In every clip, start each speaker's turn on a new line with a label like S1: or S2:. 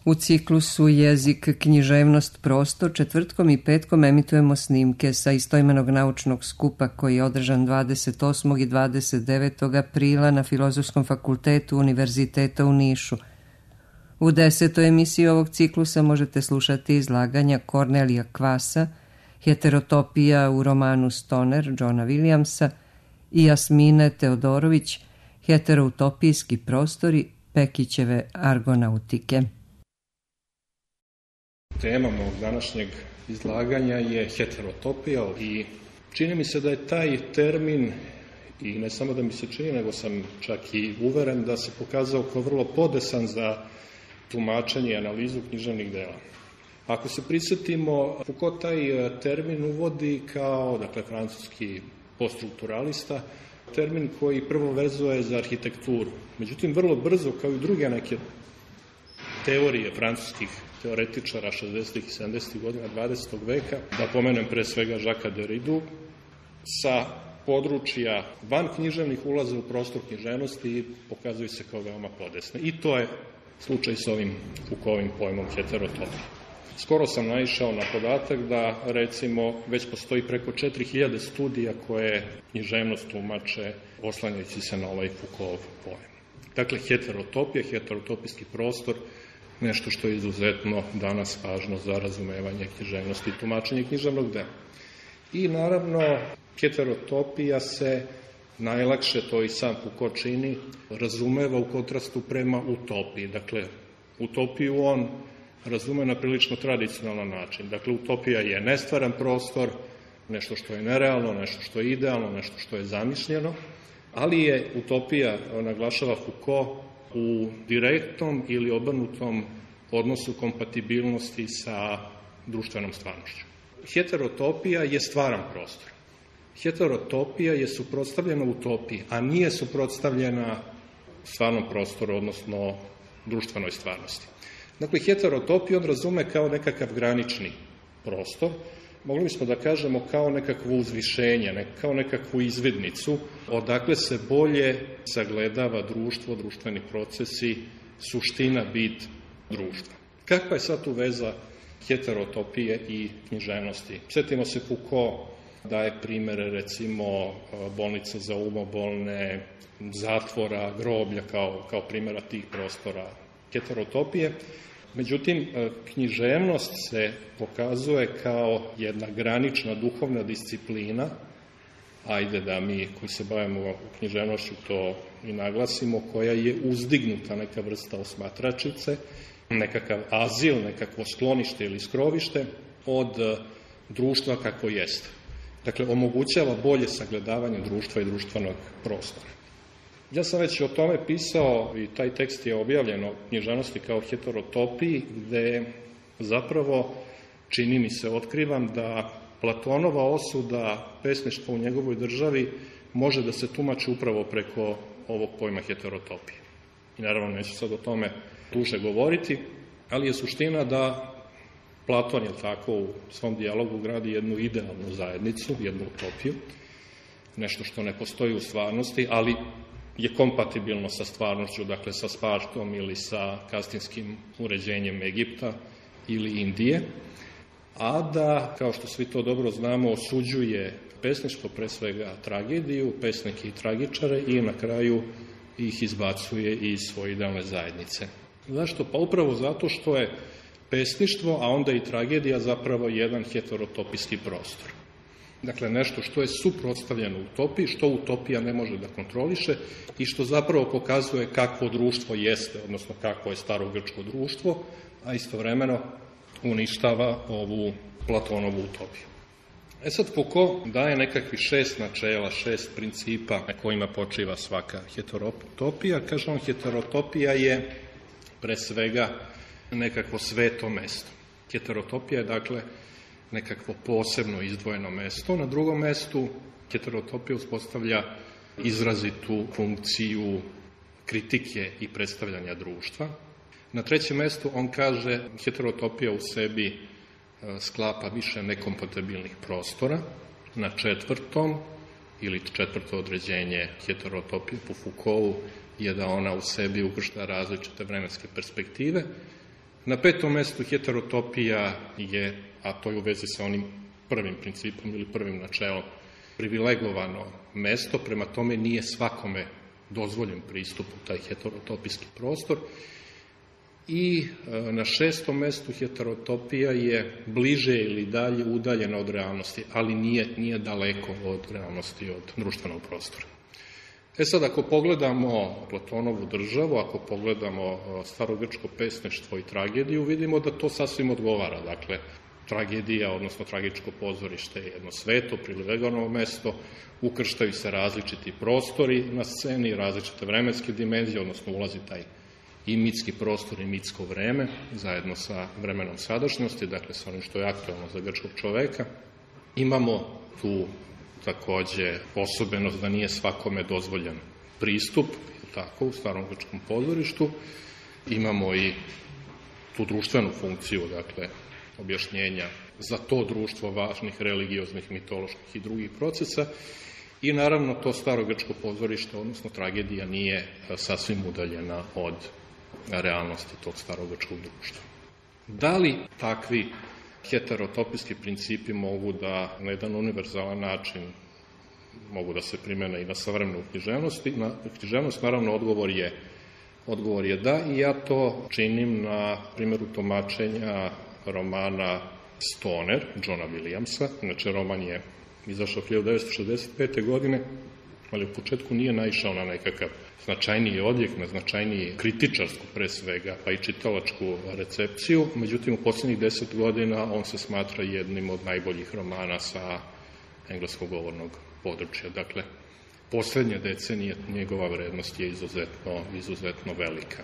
S1: U ciklusu Jezik, književnost, prostor četvrtkom i petkom emitujemo snimke sa istoimenog naučnog skupa koji je održan 28. i 29. aprila na Filozofskom fakultetu Univerziteta u Nišu. U 10. emisiji ovog ciklusa možete slušati izlaganja Kornelija Kvasa, Heterotopija u romanu Stoner Johna Williamsa i Jasmine Teodorović, Heteroutopijski prostori Pekićeve argonautike.
S2: Tema mog današnjeg izlaganja je heterotopija i čini mi se da je taj termin, i ne samo da mi se čini, nego sam čak i uveren da se pokazao kao vrlo podesan za tumačenje i analizu književnih dela. Ako se prisjetimo, Foucault taj termin uvodi kao, dakle, francuski poststrukturalista, termin koji prvo vezuje za arhitekturu. Međutim, vrlo brzo, kao i druge neke teorije francuskih teoretičara 60. i 70. godina 20. veka, da pomenem pre svega Jacquesa Derridu, sa područja van književnih ulaze u prostor književnosti i pokazuju se kao veoma podesne. I to je slučaj s ovim Foucaultovim pojmom heterotopije. Skoro sam naišao na podatak da, recimo, već postoji preko 4000 studija koje književnost tumače oslanjajući se na ovaj Foucaultov pojam. Dakle, heterotopija, heterotopijski prostor, nešto što je izuzetno danas važno za razumevanje književnosti i tumačenje književnog dela. I naravno, heterotopija se najlakše, to i sam Foucault čini, razumeva u kontrastu prema utopiji. Dakle, utopiju on razume na prilično tradicionalan način. Dakle, utopija je nestvaran prostor, nešto što je nerealno, nešto što je idealno, nešto što je zamišljeno, ali je utopija, naglašava Foucault, u direktnom ili obrnutom odnosu kompatibilnosti sa društvenom stvarnošću. Heterotopija je stvaran prostor. Heterotopija je suprotstavljena utopiji, a nije suprotstavljena stvarnom prostoru, odnosno društvenoj stvarnosti. Dakle, heterotopiju on razume kao nekakav granični prostor, mogli bismo da kažemo kao nekakvo uzvišenje, kao nekakvu izvidnicu, odakle se bolje sagledava društvo, društveni procesi, suština, bit društva. Kakva je sad tu veza heterotopije i književnosti? Sjetimo se Foucault daje primere, recimo, bolnica za umobolne, zatvora, groblja kao primjera tih prostora heterotopije. Međutim, književnost se pokazuje kao jedna granična duhovna disciplina, ajde da mi koji se bavimo književnošću to i naglasimo, koja je uzdignuta neka vrsta osmatračice, nekakav azil, nekakvo sklonište ili skrovište od društva kako jeste. Dakle, omogućava bolje sagledavanje društva i društvenog prostora. Ja sam već o tome pisao i taj tekst je objavljen o književnosti kao heterotopiji, gde zapravo, čini mi se, otkrivam da Platonova osuda pesništva u njegovoj državi može da se tumači upravo preko ovog pojma heterotopije. I naravno neću sad o tome duže govoriti, ali je suština da Platon, je tako, u svom dijalogu gradi jednu idealnu zajednicu, jednu utopiju, nešto što ne postoji u stvarnosti, ali je kompatibilno sa stvarnošću, dakle sa Spartom ili sa kastinskim uređenjem Egipta ili Indije, a da, kao što svi to dobro znamo, osuđuje pesništvo, pre svega tragediju, pesnike i tragičare i na kraju ih izbacuje iz svoje idealne zajednice. Zašto? Pa upravo zato što je pesništvo, a onda i tragedija zapravo jedan heterotopijski prostor. Dakle, nešto što je suprotstavljeno utopiji, što utopija ne može da kontroliše i što zapravo pokazuje kakvo društvo jeste, odnosno kakvo je starogrčko društvo, a istovremeno uništava ovu Platonovu utopiju. Sad, Foucault daje nekakvih 6 načela, 6 principa na kojima počiva svaka heterotopija. Kaže on, heterotopija je pre svega nekakvo sveto mesto. Heterotopija je, dakle, nekakvo posebno izdvojeno mesto. Na drugom mestu heterotopija uspostavlja izrazitu funkciju kritike i predstavljanja društva. Na trećem mestu on kaže heterotopija u sebi sklapa više nekompatibilnih prostora. Na četvrtom, ili četvrto određenje heterotopije po Foucaultu, je da ona u sebi ukršta različite vremenske perspektive. Na 5. mestu heterotopija je, a to je u vezi sa onim prvim principom ili prvim načelom, privilegovano mesto, prema tome nije svakome dozvoljen pristup u taj heterotopijski prostor. I na 6. mestu heterotopija je bliže ili dalje udaljena od realnosti, ali nije daleko od realnosti, od društvenog prostora. Sad, ako pogledamo Platonovu državu, ako pogledamo starogrčko pesništvo i tragediju, vidimo da to sasvim odgovara. Dakle, tragedija, odnosno tragičko pozorište je jedno sveto, privilegovano mesto, ukrštaju se različiti prostori na sceni, različite vremenske dimenzije, odnosno ulazi taj i mitski prostor i mitsko vreme, zajedno sa vremenom sadašnjosti, dakle sa onim što je aktualno za grčkog čoveka. Imamo tu takođe osobenost da nije svakome dozvoljen pristup, tako, u starom grčkom pozorištu. Imamo i tu društvenu funkciju, dakle, objašnjenja za to društvo važnih religioznih, mitoloških i drugih procesa. I naravno to staro grčko pozorište, odnosno tragedija, nije sasvim udaljena od realnosti tog starogrčkog društva. Da li takvi heterotopijski principi mogu da na jedan univerzalan način mogu da se primene i na savremenu književnost? Naravno, odgovor je da, i ja to činim na primjeru tumačenja romana Stoner, Johna Williamsa. Inače, roman je izašao 1965. godine, ali u početku nije naišao na nekakav značajniji odjek, na značajniji kritičarsku pre svega, pa i čitalačku recepciju. Međutim, u posljednjih 10 godina on se smatra jednim od najboljih romana sa engleskog govornog područja. Dakle, poslednje decenije njegova vrednost je izuzetno velika.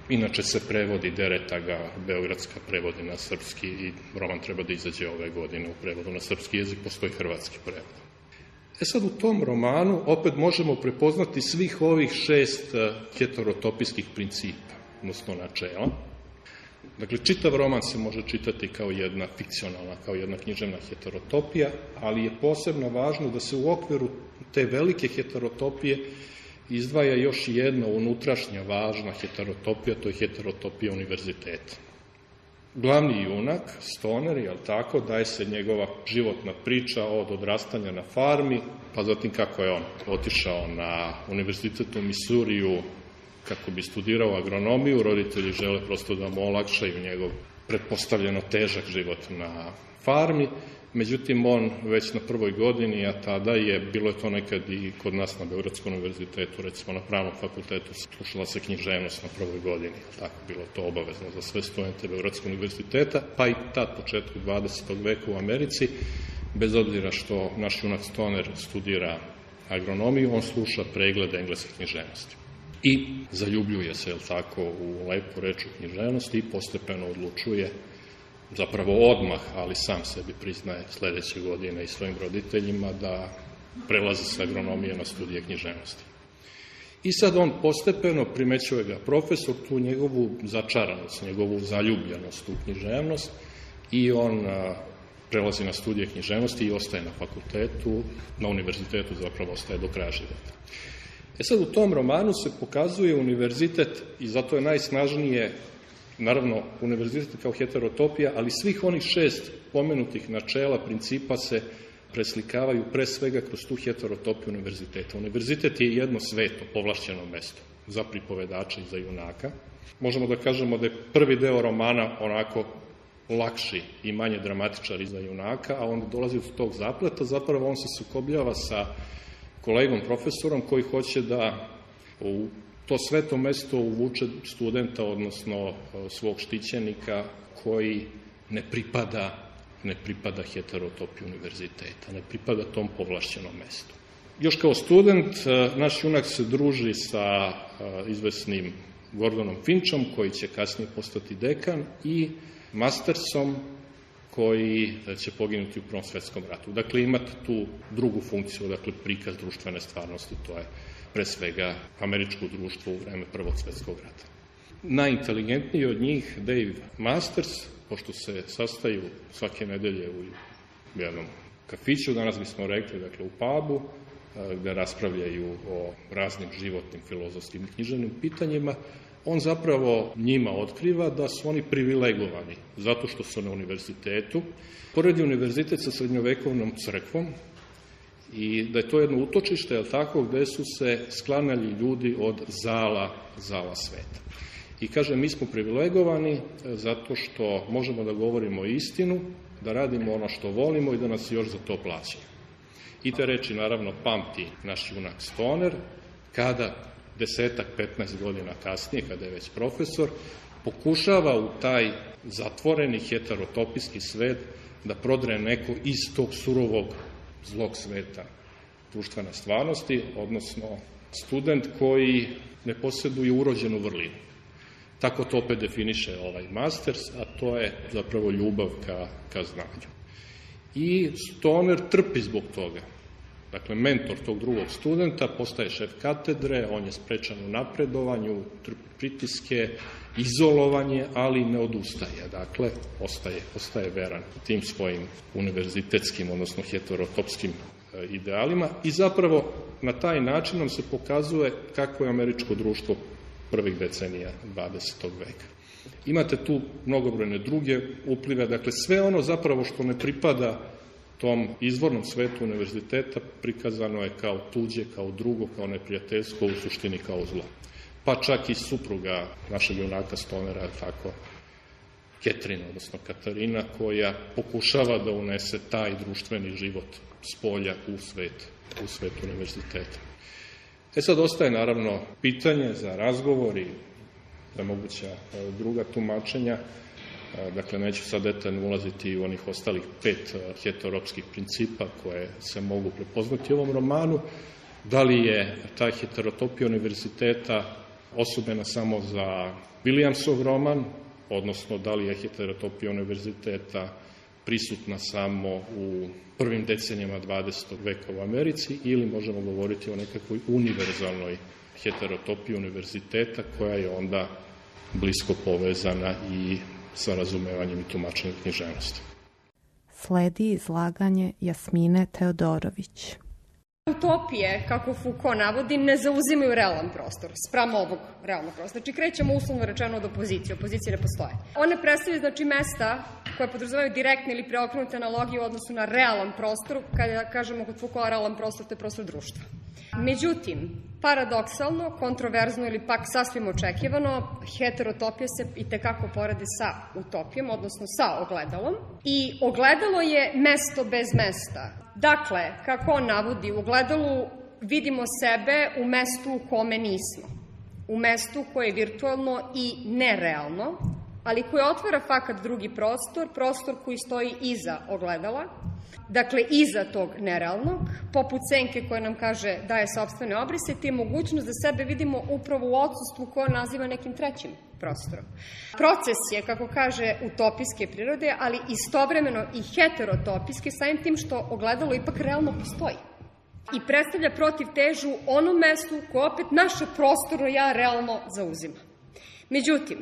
S2: Inače se prevodi, Dereta ga beogradska prevodi na srpski i roman treba da izađe ove godine u prevodu na srpski jezik, postoji hrvatski prevod. Sad, u tom romanu opet možemo prepoznati svih ovih 6 heterotopijskih principa, odnosno načela. Dakle, čitav roman se može čitati kao jedna fikcionalna, kao jedna književna heterotopija, ali je posebno važno da se u okviru te velike heterotopije izdvaja još jedna unutrašnja važna heterotopija, to je heterotopija univerziteta. Glavni junak, Stoner, jel tako, daje se njegova životna priča od odrastanja na farmi, pa zatim kako je on otišao na univerzitet u Misuriju kako bi studirao agronomiju. Roditelji žele prosto da mu olakšaju njegov pretpostavljeno težak život na farmi. Međutim, on već na prvoj godini, a tada bilo je to nekad i kod nas na Beogradskom univerzitetu, recimo na Pravnom fakultetu, slušala se književnost na prvoj godini, tako bilo to obavezno za sve studente Beogradskog univerziteta, pa i tad početku 20. veka u Americi, bez obzira što naš junak Stoner studira agronomiju, on sluša preglede engleske književnosti. I zaljubljuje se, tako, u lepu reč u književnosti i postepeno odlučuje, zapravo odmah, ali sam sebi priznaje sledeće godine i svojim roditeljima, da prelazi sa agronomije na studije književnosti. I sad on postepeno, primećuje ga profesor, tu njegovu začaranost, njegovu zaljubljenost u književnost, i on prelazi na studije književnosti i ostaje na fakultetu, na univerzitetu zapravo ostaje do kraja života. Sad, u tom romanu se pokazuje univerzitet, i zato je najsnažnije, naravno, univerzitet kao heterotopija, ali svih onih 6 pomenutih načela, principa se preslikavaju pre svega kroz tu heterotopiju univerziteta. Univerzitet je jedno sveto, povlašćeno mesto za pripovedača i za junaka. Možemo da kažemo da je prvi deo romana onako lakši i manje dramatičar i za junaka, a onda dolazi do tog zapleta, zapravo on se sukobljava sa kolegom profesorom koji hoće da u to sveto mesto uvuče studenta, odnosno svog štićenika, koji ne pripada heterotopiji univerziteta, ne pripada tom povlašćenom mestu. Još kao student, naš junak se druži sa izvesnim Gordonom Finchom, koji će kasnije postati dekan, i Mastersom, koji će poginuti u Prvom svetskom ratu. Dakle, imate tu drugu funkciju, dakle, prikaz društvene stvarnosti, to je pre svega američko društvo u vreme Prvog svetskog rata. Najinteligentniji od njih, Dave Masters, pošto se sastaju svake nedelje u jednom kafiću, danas bismo rekli, dakle, u pubu, gde raspravljaju o raznim životnim, filozofskim i književnim pitanjima, on zapravo njima otkriva da su oni privilegovani zato što su na univerzitetu. Poredi univerzitet sa srednjovekovnom crkvom i da je to jedno utočište, tako, gde su se sklanjali ljudi od zala sveta. I kaže, mi smo privilegovani zato što možemo da govorimo istinu, da radimo ono što volimo i da nas još za to plaćaju. I te reči, naravno, pamti naš junak Stoner, kada 10-15 godina kasnije, kada je već profesor, pokušava u taj zatvoreni heterotopijski svet da prodre neko iz tog surovog zlog sveta društvene stvarnosti, odnosno student koji ne posjeduje urođenu vrlinu. Tako to opet definiše ovaj masters, a to je zapravo ljubav ka znanju. I Stoner trpi zbog toga. Dakle, mentor tog drugog studenta postaje šef katedre, on je sprečan u napredovanju, trpi pritiske, izolovanje, ali ne odustaje. Dakle, ostaje veran tim svojim univerzitetskim, odnosno heterotopskim idealima i zapravo na taj način nam se pokazuje kako je američko društvo prvih decenija 20. veka. Imate tu mnogobrojne druge uplive, dakle sve ono zapravo što ne pripada tom izvornom svetu univerziteta prikazano je kao tuđe, kao drugo, kao neprijateljsko, u suštini kao zlo. Pa čak i supruga našeg junaka Stonera, tako, Ketrina, odnosno Katarina, koja pokušava da unese taj društveni život s polja u svet univerziteta. Sad ostaje naravno pitanje za razgovor i za moguća druga tumačenja. Dakle, neću sad detaljno ulaziti u onih ostalih 5 heteropskih principa koje se mogu prepoznati u ovom romanu. Da li je ta heterotopija univerziteta osobena samo za Williamsov roman, odnosno da li je heterotopija univerziteta prisutna samo u prvim decenijama 20. veka u Americi, ili možemo govoriti o nekakvoj univerzalnoj heterotopiji univerziteta koja je onda blisko povezana i sa razumevanjem i tumačenjem književnosti.
S3: Sledi izlaganje Jasmine Teodorović.
S4: Utopije, kako Foucault navodi, ne zauzimaju realan prostor spram ovog realnog prostora. Znači, krećemo uslovno rečeno od opozicije. Opozicije ne postoje. One predstavljaju, znači, mesta koje podrazumevaju direktne ili preokrenute analogije u odnosu na realan prostor. Kada kažemo kod Foucault realan prostor, to je prostor društva. Međutim, paradoksalno, kontroverzno ili pak sasvim očekivano, heterotopija se i tekako poredi sa utopijom, odnosno sa ogledalom. I ogledalo je mesto bez mesta. Dakle, kako on navodi, u ogledalu vidimo sebe u mestu u kome nismo. U mestu koje je virtualno i nerealno, ali koje otvara fakat drugi prostor koji stoji iza ogledala, dakle iza tog nerealnog, poput senke koja nam kaže daje sopstvene obrise, te mogućnost da sebe vidimo upravo u odsustvu koje naziva nekim trećim prostorom. Proces je, kako kaže, utopijske prirode, ali istovremeno i heterotopijske, samim tim što ogledalo ipak realno postoji. I predstavlja protivtežu onom mestu koje opet naše prostorno ja realno zauzima. Međutim,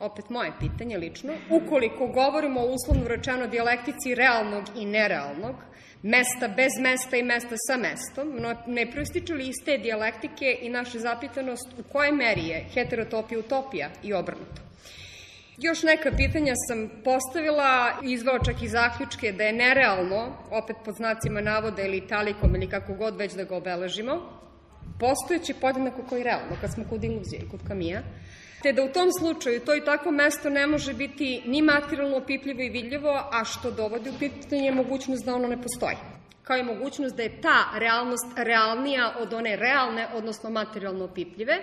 S4: opet moje pitanje lično, ukoliko govorimo o uslovno rečeno dijalektici realnog i nerealnog, mesta bez mesta i mesta sa mestom, ne proističe li iz te dijalektike i naša zapitanost u kojoj meri je heterotopija utopija i obrnuto? Još neka pitanja sam postavila, izveo čak i zaključke da je nerealno, opet pod znacima navoda ili italikom ili kako god već da ga obeležimo, postojeće podjednako koji realno, kad smo kod iluzije i kod Kamija, te da u tom slučaju to i takvo mesto ne može biti ni materijalno opipljivo i vidljivo, a što dovodi u pitanje mogućnost da ono ne postoji. Kao i mogućnost da je ta realnost realnija od one realne, odnosno materijalno opipljive.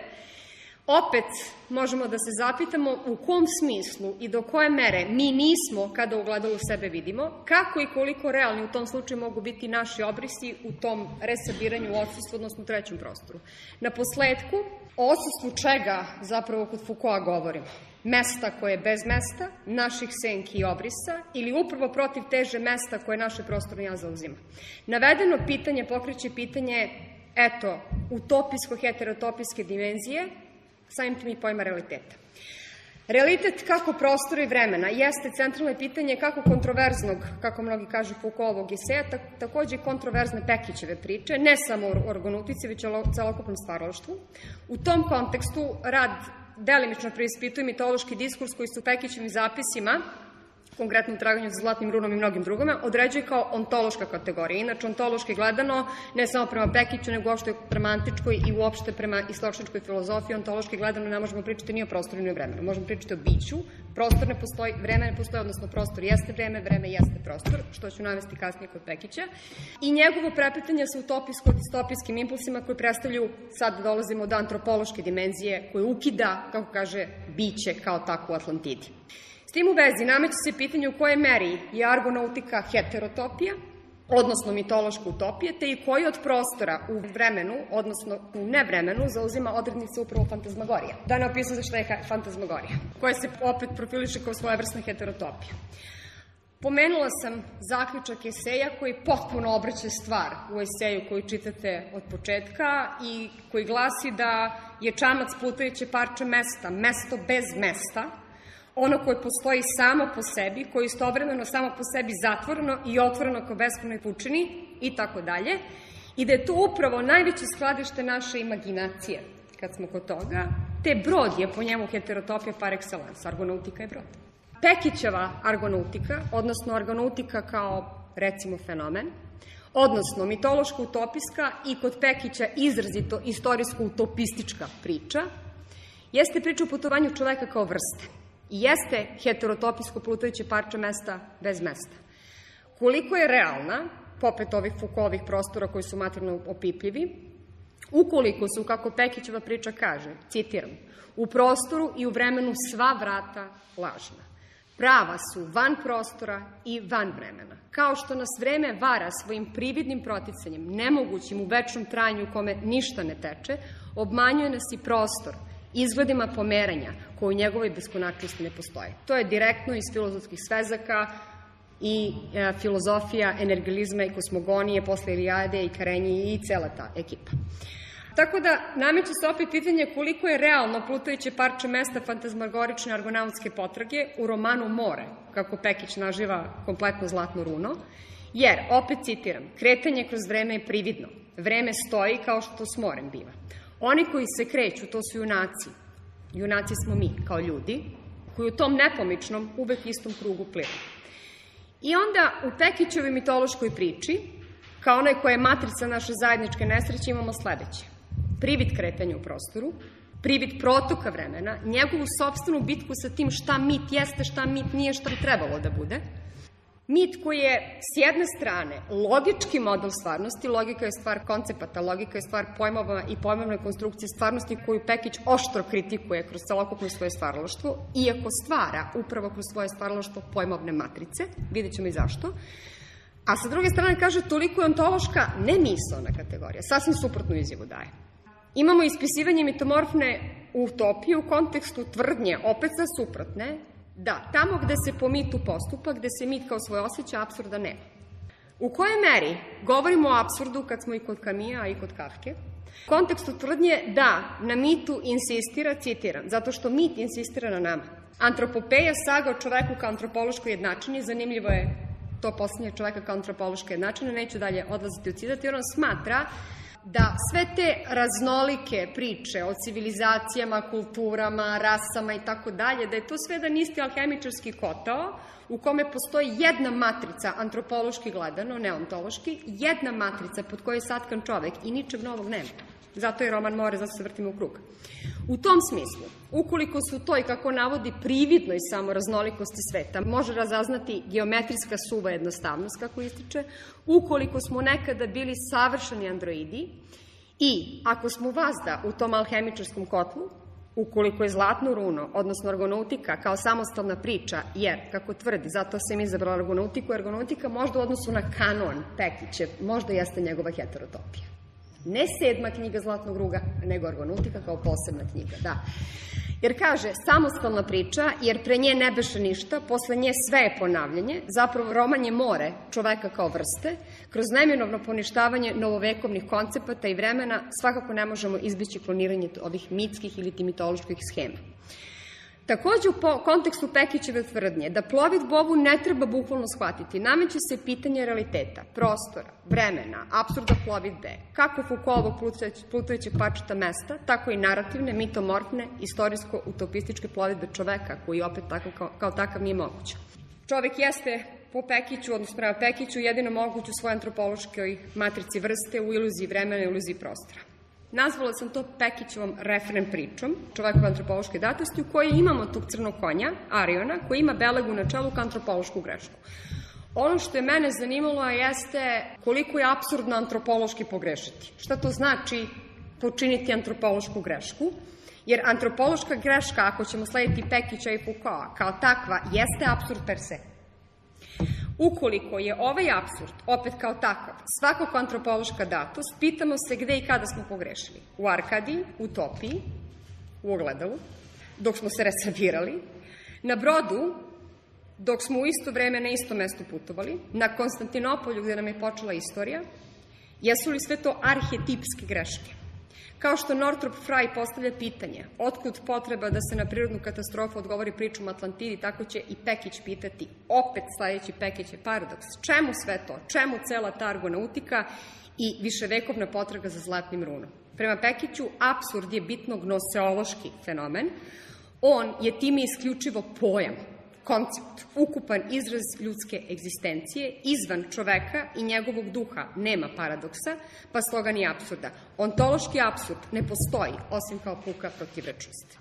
S4: Opet možemo da se zapitamo u kom smislu i do koje mere mi nismo kada u ogledalu sebe vidimo, kako i koliko realni u tom slučaju mogu biti naši obrisi u tom resabiranju u odsustvu, odnosno trećem prostoru. Na posledku, o odsustvu čega zapravo kod Foucaulta govorimo? Mesta koje je bez mesta, naših senki i obrisa, ili upravo protiv teže mesta koje naše prostorno ja zauzima. Navedeno pitanje pokreće pitanje, eto, utopijsko-heterotopijske dimenzije, samim tim i pojma realiteta. Realitet kako prostora i vremena jeste centralno pitanje kako kontroverznog, kako mnogi kažu Foucaultovog eseja, takođe kontroverzne Pekićeve priče, ne samo o orgonutici, već o celokupnom stvaralaštvu. U tom kontekstu rad delimično preispituje mitološki diskurs koji se u Pekićevim zapisima, konkretno u Traganju za zlatnim runom i mnogim drugima, određuje kao ontološka kategorija. Inače, ontološki gledano, ne samo prema Pekiću, nego uopšte prema antičkoj i uopšte prema istočničkoj filozofiji, ontološki gledano ne možemo pričati ni o prostoru ni o vremenu. Možemo pričati o biću, prostor ne postoji, vreme ne postoji, odnosno prostor jeste vreme, vreme jeste prostor, što ću navesti kasnije kod Pekića. I njegovo prepletanje sa utopijsko-distopijskim impulsima koji predstavljaju, sad dolazimo do antropološke dimenzije, koje ukida, kako kaže, biće kao takvu u Atlantidi. S tim u vezi nameće se pitanje u kojoj meri je argonautika heterotopija, odnosno mitološka utopija, te i koji od prostora u vremenu, odnosno u nevremenu, zauzima odrednice upravo fantazmagorija. Da ne opisujem šta je fantazmagorija, koja se opet profiliše kao svojevrsna heterotopija. Pomenula sam zaključak eseja koji potpuno obraća stvar u eseju koji čitate od početka i koji glasi da je čamac plutajuće parče mesta, mesto bez mesta, ono koje postoji samo po sebi, koje je istovremeno samo po sebi zatvoreno i otvoreno kao beskrajnoj pučini i tako dalje, i da je to upravo najveće skladište naše imaginacije, kad smo kod toga, te brod je po njemu heterotopija par excellence, argonautika je brod. Pekićeva argonautika, odnosno argonautika kao, recimo, fenomen, odnosno mitološko-utopijska i kod Pekića izrazito istorijsko-utopistička priča, jeste priča o putovanju čoveka kao vrste. I jeste heterotopijsko plutajuće parče mesta bez mesta. Koliko je realna, popet ovih Foucaultovih prostora koji su materijalno opipljivi, ukoliko su, kako Pekićeva priča kaže, citiram, u prostoru i u vremenu sva vrata lažna. Prava su van prostora i van vremena. Kao što nas vreme vara svojim prividnim proticanjem, nemogućim u večnom trajanju u kome ništa ne teče, obmanjuje nas i prostor, izgledima pomeranja koje u njegovoj beskonačnosti ne postoje. To je direktno iz filozofskih svezaka i filozofija energilizma i kosmogonije posle Ilijade i Karenji i cela ta ekipa. Tako da nameće se opet pitanje koliko je realno plutajuće parče mesta fantazmagorične argonautske potrage u romanu More, kako Pekić naživa kompletno zlatno runo, jer, opet citiram, kretanje kroz vreme je prividno. Vreme stoji kao što s morem biva. Oni koji se kreću, to su junaci. Junaci smo mi, kao ljudi, koji u tom nepomičnom, uvek istom krugu pliva. I onda u Pekićevoj mitološkoj priči, kao onaj koja je matrica naše zajedničke nesreće, imamo sledeće. Privid kretanja u prostoru, privid protoka vremena, njegovu sopstvenu bitku sa tim šta mit jeste, šta mit nije, šta bi trebalo da bude. Mit koji je, s jedne strane, logički model stvarnosti, logika je stvar koncepata, logika je stvar pojmova i pojmovne konstrukcije stvarnosti koju Pekić oštro kritikuje kroz celokupno svoje stvaralaštvo, iako stvara upravo kroz svoje stvaralaštvo pojmovne matrice, vidjet ćemo i zašto. A sa druge strane kaže, toliko je ontološka nemisaona kategorija, sasvim suprotnu izjavu daje. Imamo ispisivanje mitomorfne utopije u kontekstu tvrdnje, opet sa suprotne, da, tamo gde se po mitu postupa, gde se mit kao svoj osjeća, apsurda nema. U kojoj meri govorimo o apsurdu kad smo i kod Kamija i kod Kafke? U kontekstu tvrdnje da na mitu insistira, citiram, zato što mit insistira na nama. Antropopeja, saga o čoveku kao antropološkoj jednačini, zanimljivo je to poslednje čoveka kao antropološka jednačina, neću dalje odlaziti u citat, jer on smatra da sve te raznolike priče o civilizacijama, kulturama, rasama i tako dalje, da je to sve jedan isti alhemičarski kotao u kome postoji jedna matrica, antropološki gledano, ne ontološki, jedna matrica pod kojoj je satkan čovek i ničeg novog nema. Zato je roman More, zato se vrtimo u krug. U tom smislu, ukoliko su to i kako navodi prividnoj samo raznolikosti sveta, može razaznati geometrijska suva jednostavnost, kako ističe, ukoliko smo nekada bili savršeni androidi i ako smo vazda u tom alhemičarskom kotlu, ukoliko je zlatno runo, odnosno argonautika kao samostalna priča, jer, kako tvrdi, zato sam izabrala argonautiku, argonautika možda u odnosu na kanon Pekićev, možda jeste njegova heterotopija. Ne 7. knjiga Zlatnog ruga, nego argonautika kao posebna knjiga, da. Jer kaže, samostalna priča, jer pre nje ne beše ništa, posle nje sve je ponavljanje, zapravo roman je more čoveka kao vrste, kroz neminovno poništavanje novovekovnih koncepata i vremena svakako ne možemo izbići kloniranje ovih mitskih ili mitoloških schema. Takođe, u kontekstu Pekićeve tvrdnje da plovidbu ovu ne treba bukvalno shvatiti, nameće se pitanje realiteta, prostora, vremena, apsurda plovidbe, kako Foucaultovog plutajućeg parčeta mesta, tako i narativne, mitomorfne, istorijsko-utopističke plovidbe čoveka, koji opet kao takav nije moguć. Čovek jeste po Pekiću, odnosno prema Pekiću, jedino moguć u svojoj antropološkoj matrici vrste, u iluziji vremena i u iluziji prostora. Nazvala sam to Pekićevom referen pričom, čovekove antropološke datosti, u kojoj imamo tog crnog konja, Ariona, koji ima belegu na čelu kao antropološku grešku. Ono što je mene zanimalo jeste koliko je apsurdno antropološki pogrešiti. Šta to znači počiniti antropološku grešku? Jer antropološka greška, ako ćemo slediti Pekića i Foucaulta, kao takva, jeste apsurd per se. Ukoliko je ovaj apsurd, opet kao takav, svakako antropološka datost, pitamo se gde i kada smo pogrešili. U Arkadiji, utopiji, u ogledalu, dok smo se resabirali, na brodu, dok smo u isto vreme na isto mesto putovali, na Konstantinopolju gde nam je počela istorija, jesu li sve to arhetipske greške? Kao što Northrop Frye postavlja pitanje otkud potreba da se na prirodnu katastrofu odgovori pričom Atlantidi, tako će i Pekić pitati, opet sledeći Pekićev paradoks, čemu sve to, čemu cela ta argonautika i viševekovna potraga za zlatnim runom. Prema Pekiću, apsurd je bitno gnoseološki fenomen, on je time isključivo pojam, koncept, ukupan izraz ljudske egzistencije, izvan čoveka i njegovog duha nema paradoksa, pa stoga ni apsurda. Ontološki apsurd ne postoji, osim kao puka protivrečnost.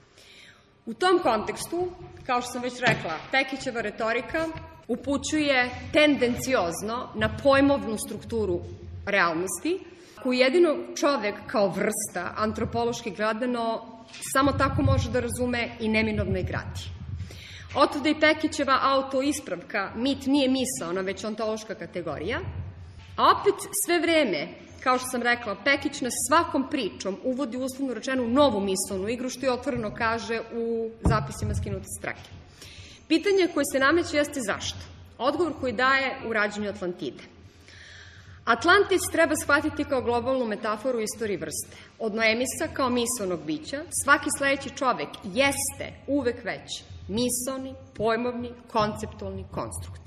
S4: U tom kontekstu, kao što sam već rekla, Pekićeva retorika upućuje tendenciozno na pojmovnu strukturu realnosti, koju jedino čovek kao vrsta, antropološki gledano, samo tako može da razume i neminovno i gradi. Otuda i Pekićeva autoispravka, mit nije misaona, već ontološka kategorija, a opet sve vreme, kao što sam rekla, Pekić nas svakom pričom uvodi uslovno rečenu novu misaonu igru, što je otvoreno kaže u zapisima Skinute s trake. Pitanje koje se nameće jeste zašto? Odgovor koji daje u rađenju Atlantide. Atlantis treba shvatiti kao globalnu metaforu istoriji vrste. Od Noemisa kao misaonog bića, svaki sledeći čovek jeste uvek već misaoni, pojmovni, konceptualni konstrukt.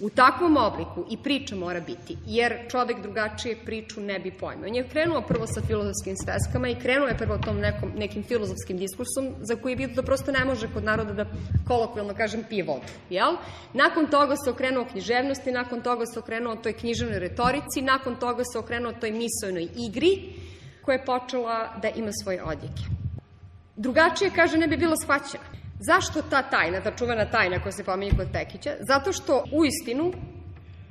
S4: U takvom obliku i priča mora biti, jer čovek drugačije priču ne bi pojmao. On je krenuo prvo sa filozofskim sveskama i krenuo je prvo tom nekim filozofskim diskursom za koji je vidio da prosto ne može kod naroda da kolokvijalno kažem pije vodu. Jel? Nakon toga se okrenuo književnosti, nakon toga se okrenuo toj književnoj retorici, nakon toga se okrenuo toj misaonoj igri koja je počela da ima svoje odjeke. Drugačije, kaže, ne bi bilo shvaćeno. Zašto ta tajna, ta čuvena tajna koja se pominje kod Pekića? Zato što u istinu,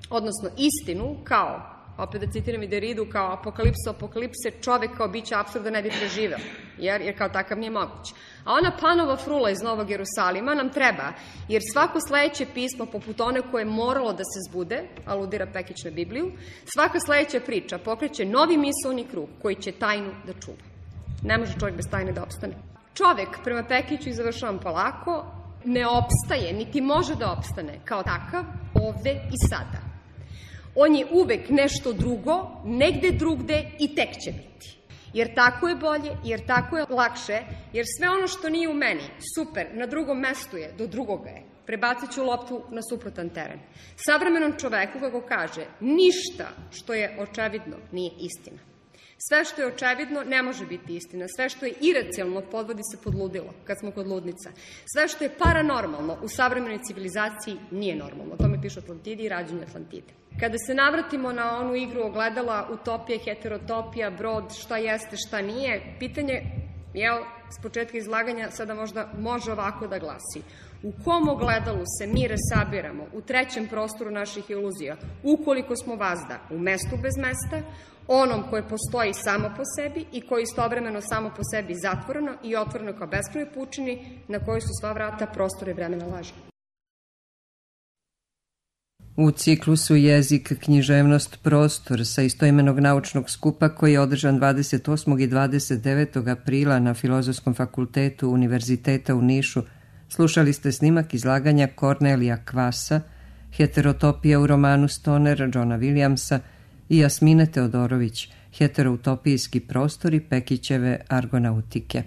S4: odnosno istinu, kao, opet da citiram i Deridu, kao apokalipse, čovek kao biće apsurda ne bi preživeo, jer kao takav nije moguć. A ona Panova frula iz Novog Jerusalima nam treba, jer svako sledeće pismo, poput one koje je moralo da se zbude, aludira Pekić na Bibliju, svaka sledeća priča pokreće novi misaoni krug koji će tajnu da čuva. Ne može čovjek bez tajne da opstane. Čovek, prema Pekiću, i završavam polako, ne opstaje, niti može da opstane kao takav ovde i sada. On je uvek nešto drugo, negde drugde i tek će biti. Jer tako je bolje, jer tako je lakše, jer sve ono što nije u meni, super, na drugom mestu je, do drugoga je. Prebacit ću loptu na suprotan teren. Savremenom čoveku, kako kaže, ništa što je očevidno nije istina. Sve što je očevidno ne može biti istina. Sve što je iracionalno podvodi se pod ludilo, kad smo kod ludnica. Sve što je paranormalno u savremenoj civilizaciji nije normalno. O tome piše Atlantidi i rađenje Atlantide. Kada se navratimo na onu igru ogledala, utopija, heterotopija, brod, šta jeste, šta nije, pitanje, s početka izlaganja sada možda može ovako da glasi. U kom ogledalu se mi resabiramo u trećem prostoru naših iluzija, ukoliko smo vazda u mestu bez mesta, onom koje postoji samo po sebi i koje istovremeno samo po sebi zatvoreno i otvoreno kao beskrajnoj pučini na kojoj su sva vrata prostora i vremena laža.
S1: U ciklusu Jezik, književnost, prostor sa istoimenog naučnog skupa koji je održan 28. i 29. aprila na Filozofskom fakultetu Univerziteta u Nišu, slušali ste snimak izlaganja Kornelija Kvasa, Heterotopija u romanu Stoner Johna Williamsa i Jasmine Teodorović, Heteroutopijski prostori Pekićeve argonautike.